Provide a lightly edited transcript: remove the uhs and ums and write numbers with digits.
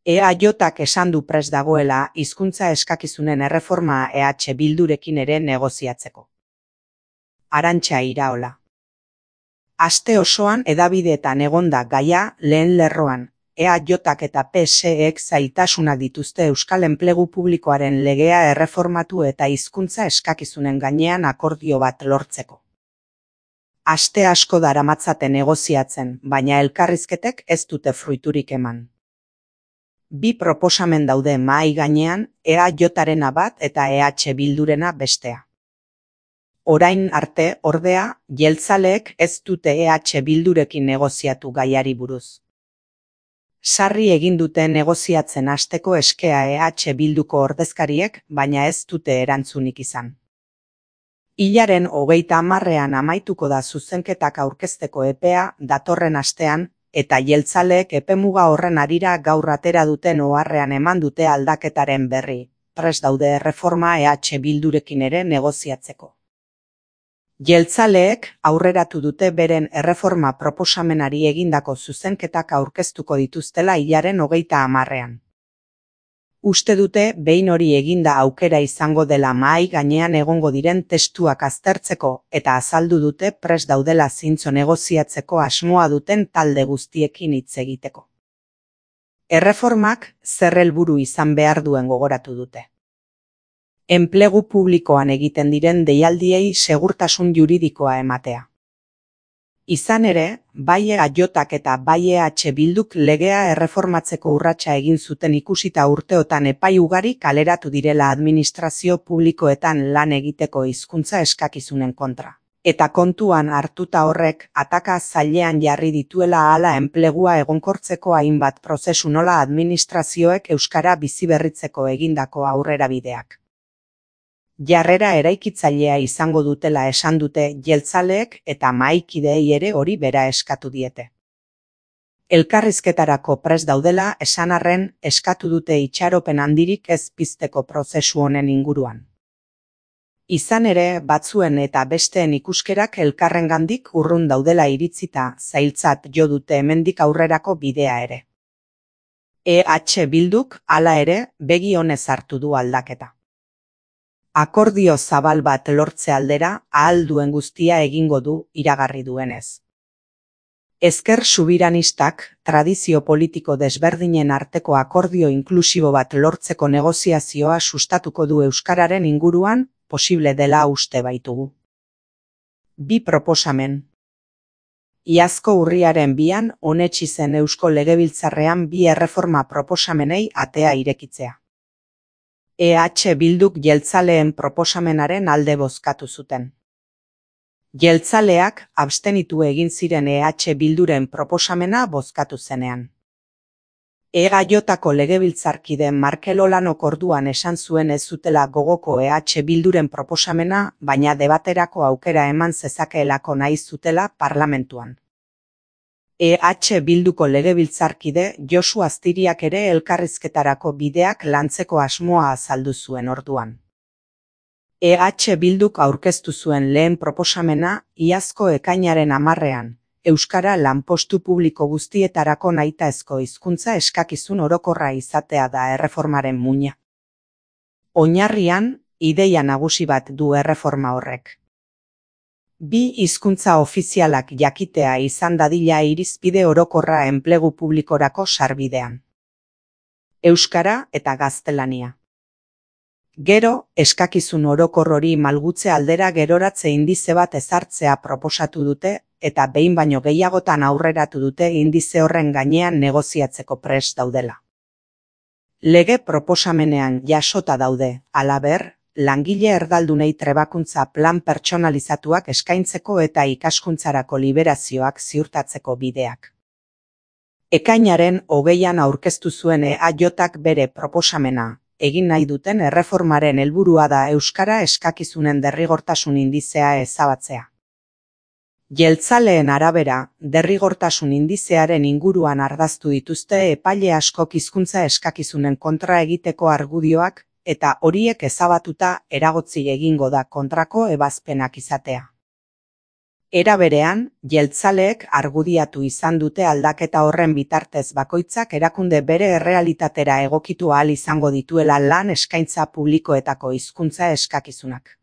EAJak esan du prest dagoela hizkuntza eskakizunen erreforma Bildurekin ere negoziatzeko. Arantxa Iraola. Aste osoan hedabideetan egonda gaia lehen lerroan, EAJak eta PSEek zailtasunak dituzte euskal enplegu publikoaren legea erreformatu eta hizkuntza eskakizunen gainean akordio bat lortzeko. Aste asko daramatzaten negoziatzen, baina elkarrizketek ez dute fruiturik eman. Bi proposamen daude mahai gainean, EAJarena bat eta Bildurena bestea. Orain arte, ordea, jeltzaleek ez dute Bildurekin negoziatu gaiari buruz. Sarri egin dute negoziatzen hasteko eskea Bilduko ordezkariek, baina ez dute erantzunik izan. Hilaren 30ean amaituko da zuzenketak aurkezteko epea datorren astean, eta jeltzaleek epemuga horren harira gaur atera duten oharrean eman dute aldaketaren berri, prest daude erreforma Bildurekin ere negoziatzeko. Jeltzaleek aurreratu dute beren erreforma proposamenari egindako zuzenketak aurkeztuko dituztela hilaren 30ean. Uste dute behin hori eginda aukera izango dela mahai gainean egongo diren testuak aztertzeko eta azaldu dute prest daudela zintzo negoziatzeko asmoa duten talde guztiekin hitz egiteko. Erreformak zer helburu izan behar duen gogoratu dute. Enplegu publikoan egiten diren deialdiei segurtasun juridikoa ematea. Izan ere, bai EAJak eta bai Bilduk legea erreformatzeko urratsa egin zuten ikusita urteotan epai ugari kaleratu direla administrazio publikoetan lan egiteko hizkuntza eskakizunen kontra. Eta kontuan hartuta horrek ataka zailean jarri dituela hala enplegua egonkortzeko hainbat prozesu nola administrazioek euskara biziberritzeko egindako aurrerabideak. Jarrera eraikitzailea izango dutela esan dute jeltzaleek eta mahaikideei ere hori bera eskatu diete. Elkarrizketarako prest daudela esan arren eskatu dute itxaropen handirik ez pizteko prozesu honen inguruan. Izan ere, batzuen eta besteen ikuskerak elkarrengandik urrun daudela iritzita zailtzat jo dute hemendik aurrerako bidea ere. Bilduk hala ere begi onez hartu du aldaketa. Akordio zabal bat lortze aldera ahal duen guztia egingo du iragarri duenez. Ezker subiranistak tradizio politiko desberdinen arteko akordio inklusibo bat lortzeko negoziazioa sustatuko du euskararen inguruan, posible dela uste baitugu. Bi proposamen. Iazko urriaren 2an onetsi zen Eusko Legebiltzarrean bi erreforma proposamenei atea irekitzea. Bilduk jeltzaleen proposamenaren alde bozkatu zuten. Jeltzaleak abstenitu egin ziren Bilduren proposamena bozkatu zenean. EAJako legebiltzarkide Markel Olanok orduan esan zuen ez zutela gogoko Bilduren proposamena, baina debaterako aukera eman zezakeelako nahi zutela parlamentuan. Bilduko legebiltzarkide Josu Aztiriak ere elkarrizketarako bideak lantzeko asmoa azaldu zuen orduan. Bilduk aurkeztu zuen lehen proposamena iazko ekainaren 10ean, euskara lanpostu publiko guztietarako nahitaezko hizkuntza eskakizun orokorra izatea da erreformaren muina. Oinarrian, ideia nagusi bat du erreforma horrek. Bi hizkuntza ofizialak jakitea izan dadila irizpide orokorra enplegu publikorako sarbidean. Euskara eta gaztelania. Gero, eskakizun orokor hori malgutze aldera geroratze indize bat ezartzea proposatu dute, eta behin baino gehiagotan aurreratu dute indize horren gainean negoziatzeko prest daudela. Lege proposamenean jasota daude, halaber, langile erdaldunei trebakuntza plan pertsonalizatuak eskaintzeko eta ikaskuntzarako liberazioak ziurtatzeko bideak. Ekainaren 20an aurkeztu zuen EAJak bere proposamena, egin nahi duten erreformaren helburua da euskara eskakizunen derrigortasun indizea ezabatzea. Jeltzaleen arabera, derrigortasun indizearen inguruan ardaztu dituzte epaile askok hizkuntza eskakizunen kontra egiteko argudioak, eta horiek ezabatuta eragotzi egingo da kontrako ebazpenak izatea. Era berean, jeltzaleek argudiatu izan dute aldaketa horren bitartez bakoitzak erakunde bere errealitatera egokitu ahal izango dituela lan eskaintza publikoetako hizkuntza eskakizunak.